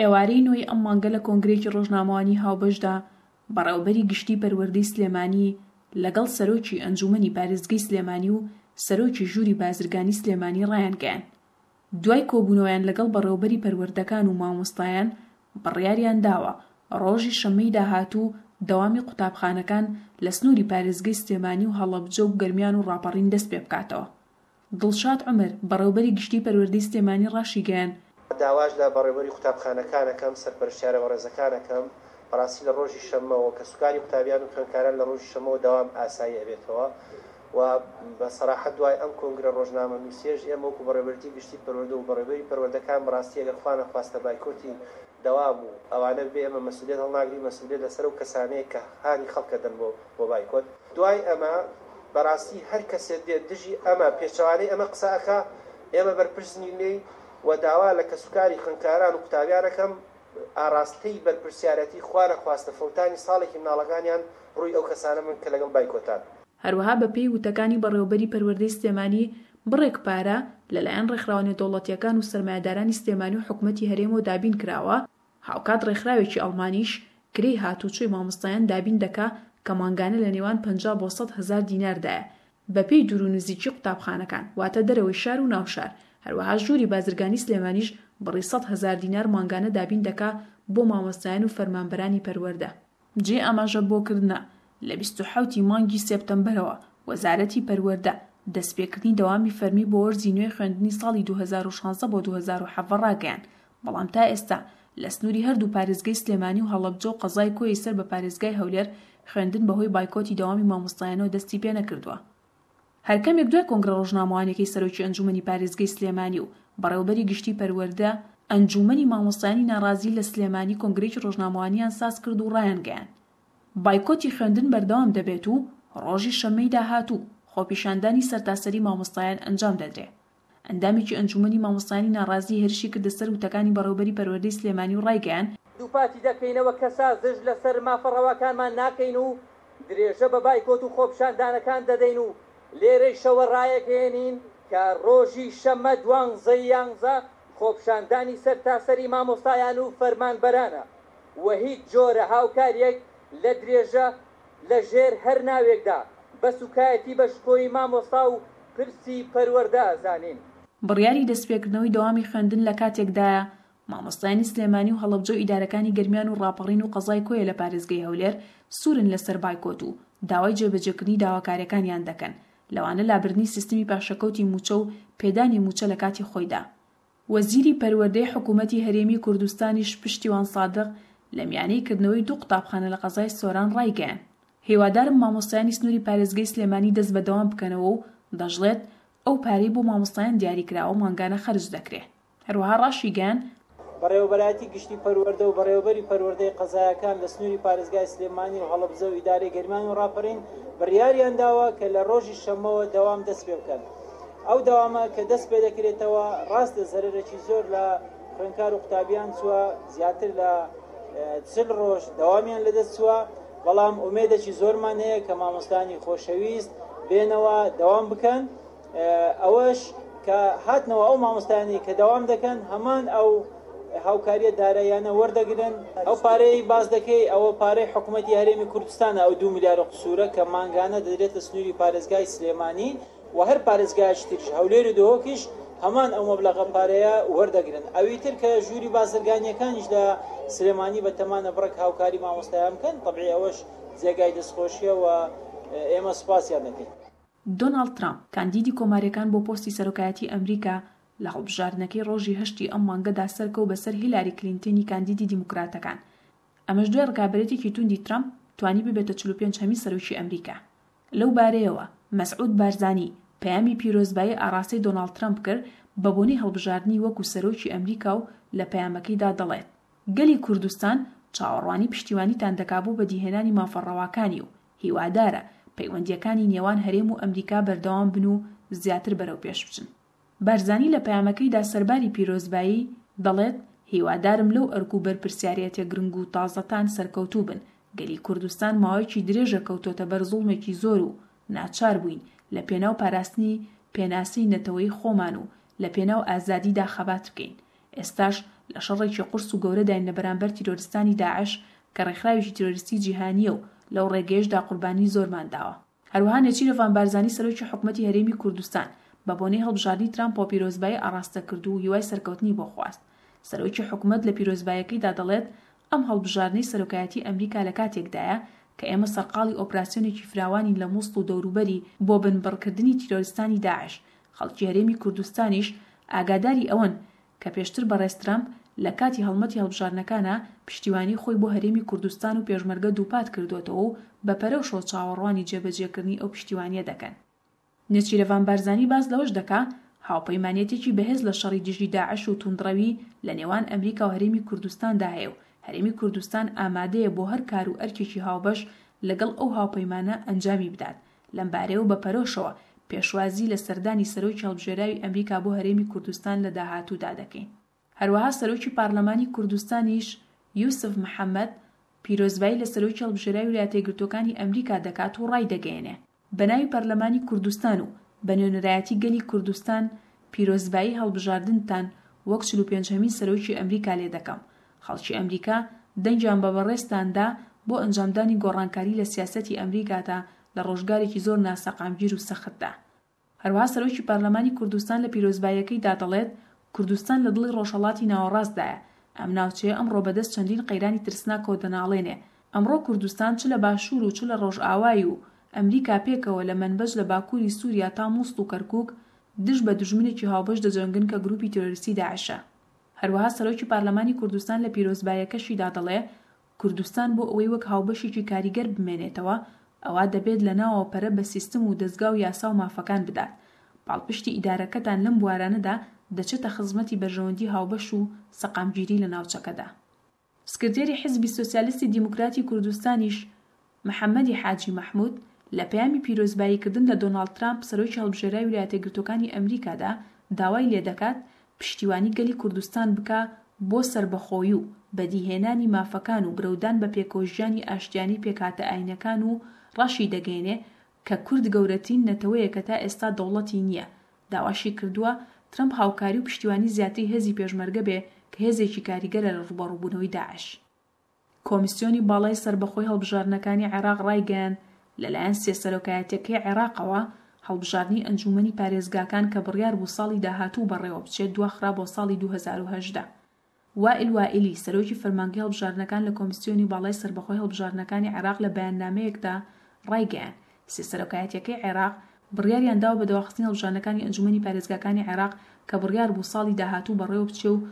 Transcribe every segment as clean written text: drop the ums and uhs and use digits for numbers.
ئێوارەی نۆی ئەم مانگە لە کۆنگرەیەکی ڕۆژنامەوانی هاوبەشدا بەڕێوەبەری گشتی پەروەردەی سلێمانی لەگەڵ سەرۆکی ئەنجوومەنی پارێزگەی سلێمانی و سەرۆکی ژووری بازرگانی سلێمانی ڕایانگەیاند دوای کۆبوونەوەیان لەگەڵ بەڕێوەبەری پەروەردەکان و مامۆستایان بڕیاریان داوە ڕۆژی شەممەی داهاتوو دەوامی قوتابخانەکان لە سنووری پارێزگەی سلێمانی و هەڵەبجە و گەرمیان و ڕاپەڕین دەستپێبکاتەوە. دڵشاد عومەر، بەڕێوبەری گشتیی پەروەردەی سلێمانی ڕاشیگەیاند، داواش لە بەڕێوبەری قوتابخانەکان ئەکەم، سەرپەرشتیارە بەڕێزەکان ئەکەم، بەڕاستی لە ڕۆژی شەممەوە کەسوکاری قوتابیان و خوێندکاران لە ڕۆژی شەممەوە دەوام ئاسایی ئەبێتەوە و بە سەراحەت دوای ئەم کۆنگرە ڕۆژنامەنووسیەش ئێمە وەکو بەڕێوبەرێتی گشتی پەروەردە و بەڕێوبەری پەروەردەکان بەڕاستی ئەگەر خوا نەخواستە بایکۆتی دەوام و ئەوانە ببێ ئێمە مەسئولیەت هەڵناگرین، مەسئولیەت لەسەر ئەو کەسانەیە کە هانی خەڵک ئەدەن بۆ بۆ بایکۆت. دوای ئەمە بەڕاستی هەر کەسێ دێت دژی ئەمە پێچەوانەی ئەمە قسە ئەکا ئێمە بەرپرس نین لێی و داوا لە کەسوکاری خوێندکاران و قوتابیان ئەکەم ئاڕاستەی بەرپرسیارەتی خوا نەخواستە فەوتانی ساڵێکی مناڵەکانیان ڕووی ئەو کەسانە بن کە لەگەڵ بایکۆتان. هەروەها بەپێی وتەکانی بەڕێوەبەری پەروەردەی سلێمانی بڕێک پارە لەلایەن ڕێکخراوە نێودەوڵەتییەکان و سەرمایەدارانی سلێمانی و حکومەتی هەرێمەوە دابین کراوە، هاوکات ڕێکخراوێکی ئەڵمانیش کرێی هاتوچۆی مامۆستایان دابین دەکا کە مانگانە لە نێوان 50 بۆ 100 هەزار دیناردایە بەپێی دوور و نزیکی قوتابخانەکان واتە دەرەوەی شار و ناو شار، هەروەها ژووری بازرگانی سلێمانیش بڕی 100 هەزار دینار مانگانە دابین دەکا بۆ مامۆستایان و فەرمانبەرانی پەروەردە. جێی ئاماژە بۆ کردنە، لە 27 ی مانگی سێپتەمبەرەوە وەزارەتی پەروەردە، دەستپێکردنی دەوامی فەرمی بۆ وەرزی نوێی خوێندنی ساڵی 2016 بۆ 2017 ڕاگەیاند، بەڵام تا ئێستا لە سنووری هەردوو پارێزگەی سلێمانی و هەڵەبجە و قەزای کۆیەی سەر بە پارێزگای هەولێر خوێندن بەهۆی بایکۆتی دەوامی مامۆستایانەوە دەستی پێنەکردووە. هەر کەمێک دوای کۆنگرە ڕۆژنامەوانیەکەی سەرۆکی ئەنجوومەنی پارێزگەی سلێمانی و بەڕێوەبەری گشتی پەروەردە، ئەنجوومەنی مامۆستایانی ناڕازی لە سلێمانی کۆنگرەیەکی ڕۆژنامەوانیان سازکرد و ڕایانگەیاند، بایکۆتی خوێندن بەردەوام دەبێت و ڕۆژی شەممەی داهاتوو خۆپیشاندانی سەرتاسەری مامۆستایان ئەنجام دەدرێ. ئەندامێکی ئەنجوومەنی مامۆستایانی ناڕازی هێرشی کردە سەر وتەکانی بەڕێوەبەری پەروەردەی سلێمانی و ڕایگەیاند، دووپاتی دەکەینەوە کە سازش لەسەر مافە ڕەواکانمان ناکەین و درێژە بە بایکۆت و خۆپیشاندانەکان دەدەین و لێرەیشەوە ڕایەگەیەنین کە ڕۆژی شەممە دوانزەی یانزە خۆپیشاندانی سەرتاسەری مامۆستایان و فەرمانبەرانە و هیچ جۆرە هاوکاریەک لە درێژە لە ژێر هەر ناوێکدا بە سوکایەتی بە شکۆی مامۆستا و پرسی پەروەردە ئەزانین. بڕیاری دەستپێکردنەوەی دەوامی خوێندن لە کاتێکدایە، مامۆستایانی سلێمانی و هەڵەبجە و ئیدارەکانی گەرمیان و ڕاپەڕین و قەزای کۆیە لە پارێزگەی هەولێر سوورن لەسەر بایکۆت و داوای جێبەجێکردنی داواکارییەکانیان دەکەن، لەوانە لابردنی سیستمی پاشەکەوتی مووچە و پێدانی مووچە لە کاتی خۆیدا. وەزیری پەروەردەی حکوومەتی هەرێمی کوردستانیش پشتیوان سادق لە میانەی کردنەوەی دوو قوتابخانە لە قەزای سۆران ڕایگەیاند، هیوادارم مامۆستایانی سنووری پارێزگەی سلێمانی دەست بە دەوام بکەنەوە و دەشڵێت، ئەو پارەی بۆ مامۆستایان دیاریکراوە مانگانە خەرج دەکرێ. هەروەها ڕاشیگەیاند، بەڕێوەبەرایەتی گشتی پەروەردە و بەڕێوەبەری پەروەردەی قەزایەکان لە سنووری پارێزگای سلێمانی و هەڵەبجە و ئیدارەی گەرمیان و ڕاپەڕین بڕیاریان داوە کە لە ڕۆژی شەممەوە دەوام دەست پێ بکەن. ئەو دەوامە کە دەست پێ دەکرێتەوە ڕاستە زەرەرێکی زۆر لە خوێندکار و قوتابیان چووە، زیاتر لە 40 ڕۆژ دەوامیان لەدەست چووە، بەڵام ئومێدێکی زۆرمان هەیە کە مامۆستانی خۆشەویست بێنەوە دەوام بکەن. ئەوەش کە هاتنەوە ئەو مامۆستایانەی کە دەوام دەکەن هەمان ئەو هاوکاریە داراییانە وەردەگرن. ئەو پارەیەی باس دەکەی ئەوە پارەی حکومەتی هەرێمی کوردستانە، ئەو دوو ملیار و قسورە کە مانگانە دەدرێتە سنووری پارێزگای سلێمانی و هەر پارێزگایەکی تریش هەولێر و دهۆکیش هەمان ئەو مەبلەغە پارەیە وەردەگرن. ئەوی تر کە ژووری بازرگانیەکانیش لە سلێمانی بە تەمانە بڕێک هاوکاری مامۆستایان بکەن، تەبعی ئەوەش جێگای دەستخۆشیە و ئێمە سوپاسیان دەکەین. دۆناڵد ترامپ، کاندیدی کۆمارییەکان بۆ پۆستی سەرۆکایەتی ئەمریکا، لە هەڵبژاردنەکەی ڕۆژی هەشتی ئەم مانگەدا سەرکەوت بەسەر هیلاری کلینتنی کاندیدی دیموکراتەکان، ئەمەش دوای ڕکابەرێتێکی توندی ترامپ توانی ببێتە 45 هەمین سەرۆکی ئەمریکا. لەو بارەیەوە، مەسعود بارزانی، پەیامی پیرۆزبایی ئاڕاستەی دۆناڵد ترەمپ کرد بەبۆنەی هەڵبژاردنی وەکو سەرۆکی ئەمریکا و لە پەیامەکەیدا دەڵێت، گەلی کوردستان چاوەڕوانی پشتیوانیتان دەکا بۆ بەدیهێنانی مافە ڕەواکانی و هیوادارە پەیوەندییەکانی نێوان هەرێم و ئەمریکا بەردەوام بن و زیاتر بەرەوپێش بچن. بارزانی لە پەیامەکەیدا سەرباری پیرۆزبایی، دەڵێت، هیوادارم لەو ئەرک و بەرپرسیارێتیە گرنگ و تازەتان سەرکەوتوو بن، گەلی کوردستان ماوەیەکی درێژە کەوتۆتە بەر زوڵمێکی زۆر و ناچار بووین لە پێناو پاراستنی پێناسەی نەتەوەیی خۆمان و لە پێناو ئازادیدا خەبات بکەین. ئێستاش. لە شەڕێکی قورس و گەورەداین لە بەرامبەر تیرۆرستانی داعش کە ڕێکخراوێکی تیرۆریستی جیهانییە و لەو ڕێگەیەشدا قوربانی زۆرمان داوە. هەروەها نێچیرڤان بارزانی سەرۆکی حکومەتی هەرێمی کوردستان بە بۆنەی هەڵبژاردنی ترامپەوە پیرۆزبایی ئاڕاستە کرد و هیوای سەرکەوتنی بۆ خواست. سەرۆکی حکومەت لە پیرۆزباییەکەیدا دەڵێت، ئەم هەڵبژاردنەی سەرۆکایەتی ئەمریکا لە کاتێکدایە کە ئێمە سەرقاڵی ئۆپراسیۆنێکی فراوانین لە موسڵ و دەوروبەری بۆ بنبڕکردنی تیرۆریستانی داعش، خەڵکی هەرێمی کوردستانیش ئاگاداری ئەوەن کە پێشتر بەڕێز ترەمپ لە کاتی هەڵمەتی هەڵبژاردنەکانا پشتیوانی خۆی بۆ هەرێمی کوردستان و پێشمەرگە دووپات کردۆتەوە و بە پەرۆشەوە چاوەڕوانی جێبەجێکردنی ئەو پشتیوانییە دەکەن. نێچیرەڤان بارزانی باس لەوەش دەکا، هاوپەیمانیەتێکی بەهێز لە شەڕی دژی داعش و توندڕەوی لە نێوان ئەمریکا و هەرێمی کوردستاندا هەیە و هەرێمی کوردستان ئامادەیە بۆ هەر کار و ئەرکێکی هاوبەش لەگەڵ ئەو هاوپەیمانە ئەنجامی بدات لەمبارەیەوە بە پەرۆشەوە پێشوازی لە سەردانی سەرۆکی هەڵبژێراوی ئەمریکا بۆ هەرێمی کوردستان لە داهاتوودا دەکەین. هەروەها سەرۆکی پارلەمانی کوردستانیش یوسف محەمەد پیرۆزبایی لە سەرۆکی هەڵبژێراوی ویلایەتەیەکگرتووەکانی ئەمریکا دەکات و ڕایدەگەیەنێ، بە ناوی پەرلەمانی کوردستان و بە نوێنەرایەتی گەلی کوردستان پیرۆزبایی هەڵبژاردنتان وەک 45 هەمین سەرۆکی ئەمریکا لێ دەکەم. خەڵکی ئەمریکا دەنگیان بە بەڕێزتان دا بۆ ئەنجامدانی گۆڕانکاری لە سیاسەتی ئەمریکادا لە ڕۆژگارێکی زۆر ناسەقامگیر و سەختدا. هەروەها سەرۆکی پەرلەمانی کوردستان لە پیرۆزباییەکەیدا دەڵێت، کوردستان لە دڵی ڕۆژهەڵاتی ناوەڕاستدایە، ئەم ناوچەیە ئەمڕۆ بەدەست چەندین قەیرانی ترسناکەوە دەناڵێنێ، ئەمڕۆ کوردستان چ لە باشوور و چ لە ڕۆژئاوای و ئەمریکا پێکەوە لە مەنبەج لە باکووری سووریا تا موسڵ و کەرکووک دژ بە دوژمنێکی هاوبەش دەجەنگن کە گرووپی تیرۆریستی داعشە. هەروەها سەرۆکی پارلەمانی کوردستان لە پیرۆزباییەکەشیدا دەڵێ، کوردستان بۆ ئەوەی وەک هاوبەشێکی کاریگەر بمێنێتەوە، ئەوا دەبێت لە ناوەوە پەرە بە سیستم و دەزگا و یاسا و مافەکان بدات. پاڵپشتی ئیدارەکەتان لەم بوارانەدا دەچێتە خزمەتی بەرژەوەندی هاوبەش و سەقامگیری لە ناوچەکەدا. سکرتێری حیزبی سۆسیالیستی دیموکراتی کوردستانیش محەمەدی حاجی مەحمود لە پەیامی پیرۆزبایی کردن لە دۆناڵد ترامپ سەرۆکی هەڵبژێراوی ویلایەتەیەکگرتووەکانی ئەمریکادا داوای لێدەکات پشتیوانی گەلی کوردستان بکا بۆ سەربەخۆیی و بەدیهێنانی مافەکان و برەودان بە پێکەوەژیانی ئاشتیانەی پێکهاتە ئاینەکان و ڕاشیدەگەیەنێ کە کورد گەورەترین نەتەوەیە کە تا ئێستا دەوڵەتی نییە، داواشی کردووە ترەمپ هاوکاری و پشتیوانی زیاتری هێزی پێشمەرگە بێ کە هێزێکی کاریگەرە لە ڕووبەڕووبوونەوەی داعش. کۆمیسیۆنی باڵای سەربەخۆی هەڵبژاردنەکانی عێراق ڕایگەیاند، لەلایەن سێ سەرۆکایەتیەکەی عێراقەوە، هەڵبژاردنی ئەنجوومەنی پارێزگاکان کە بڕیار بوو ساڵی داهاتوو بەڕێوەبچێت دواخرا بۆ ساڵی 2018. وائیل وائیلی، سەرۆکی فەرمانگەی هەڵبژاردنەکان لە کۆمیسیۆنی باڵای سەربەخۆی هەڵبژاردنەکانی عێراق لە بەیاننامەیەکدا ڕایگەیاند، سێ سەرۆکایەتیەکەی عێراق بڕیاریان داوە بە دواخستنی هەڵبژاردنەکانی ئەنجومەنی پارێزگاکانی عێراق کە بڕیار بوو ساڵی داهاتوو بەڕێوەبچێ و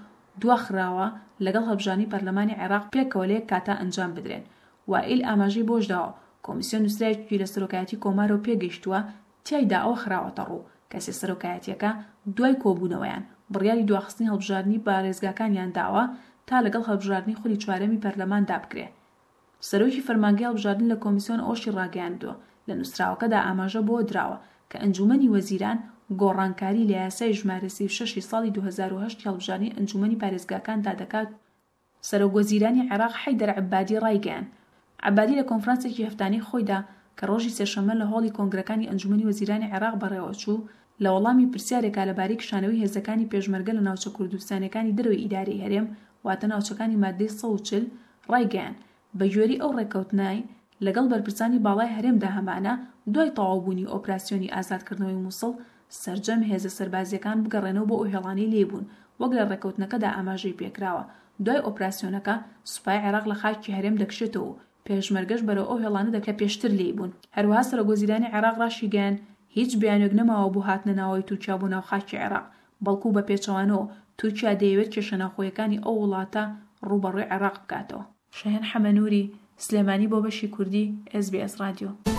دواخراوە، لەگەڵ هەڵبژاردنی پەرلەمانی عێراق پێکەوە لە یەک کاتا ئەنجام بدرێن. وائیل ئاماژەی بەوەشداوە، کۆمیسیۆن نوسراوێکی لە سەرۆکایەتی کۆمارەوە پێگەیشتووە تیایدا ئەوە خراوەتەڕوو کە سێ سەرۆکایەتیەکە دوای کۆبوونەوەیان بڕیاری دواخستنی هەڵبژاردنی پارێزگاکانیان داوە تا لەگەڵ هەڵبژاردنی خولی چوارەمی پەرلەماندا بکرێ. سەرۆکی فەرمانگەی هەڵبژاردن لە کۆمیسیۆن ئەوەشی ڕاگەیاندووە، لە نووسراوەکەدا ئاماژە بەوە دراوە کە ئەنجوومەنی وەزیران گۆڕانکاری لە یاسای ژمارە 36 ی ساڵی 2008 ی هەڵبژاردنی ئەنجوومەنی پارێزگاکاندا دەکات سەرۆکوەزیرانی عێراق حەیدەر عەبادی ڕایگەیاند، عەبادی لە کۆنفرانسێکی هەفتانەی خۆیدا کە ڕۆژی سێشەممە لە هۆڵی کۆنگرەکانی ئەنجومەنی وەزیرانی عێراق بەڕێوەچوو، لە وەڵامی پرسیارێکا لەبارەی کشانەوەی هێزەکانی پێشمەرگە لە ناوچە کوردستانیەکانی دەرەوەی ئیدارەی هەرێم واتە ناوچەکانی ماددەی 140 ڕایگەیاند، بەگوێرەی ئەو ڕێککەوتنەی لەگەڵ بەرپرسانی باڵای هەرێمدا هەمانە، دوای تەواوبوونی ئۆپراسیۆنی ئازادکردنەوەی موسڵ، سەرجەم هێزە سەربازییەکان بگەڕێنەوە بۆ ئەو هێڵانەی لێی بوون، وەک لە ڕێککەوتنەکەدا ئاماژەی پێکراوە، دوای ئۆپراسیۆنەکە، سوپای عێراق لە خاکی هەرێم دەکشێتەوە و پێشمەرگەش بەرەو ئەو هێڵانە دەکشێت کە پێشتر لێی بوون. هەروەها سەرۆکوەزیرانی عێراق ڕاشیگەیاند، هیچ بیانوێک نەماوە بۆ هاتنە ناوەوەی تورکیا بۆ ناو خاکی عێراق، بەڵکو بە پێچەوانەوە تورکیا دەیەوێت کێشە ناوخۆیەکانی ئەو وڵاتە ڕووبەڕووی عێراق بکاتەوە. شەهێن حەمەنووری، سلێمانی بۆ بەشی کوردی ئێس بی ئێس ڕادیۆ.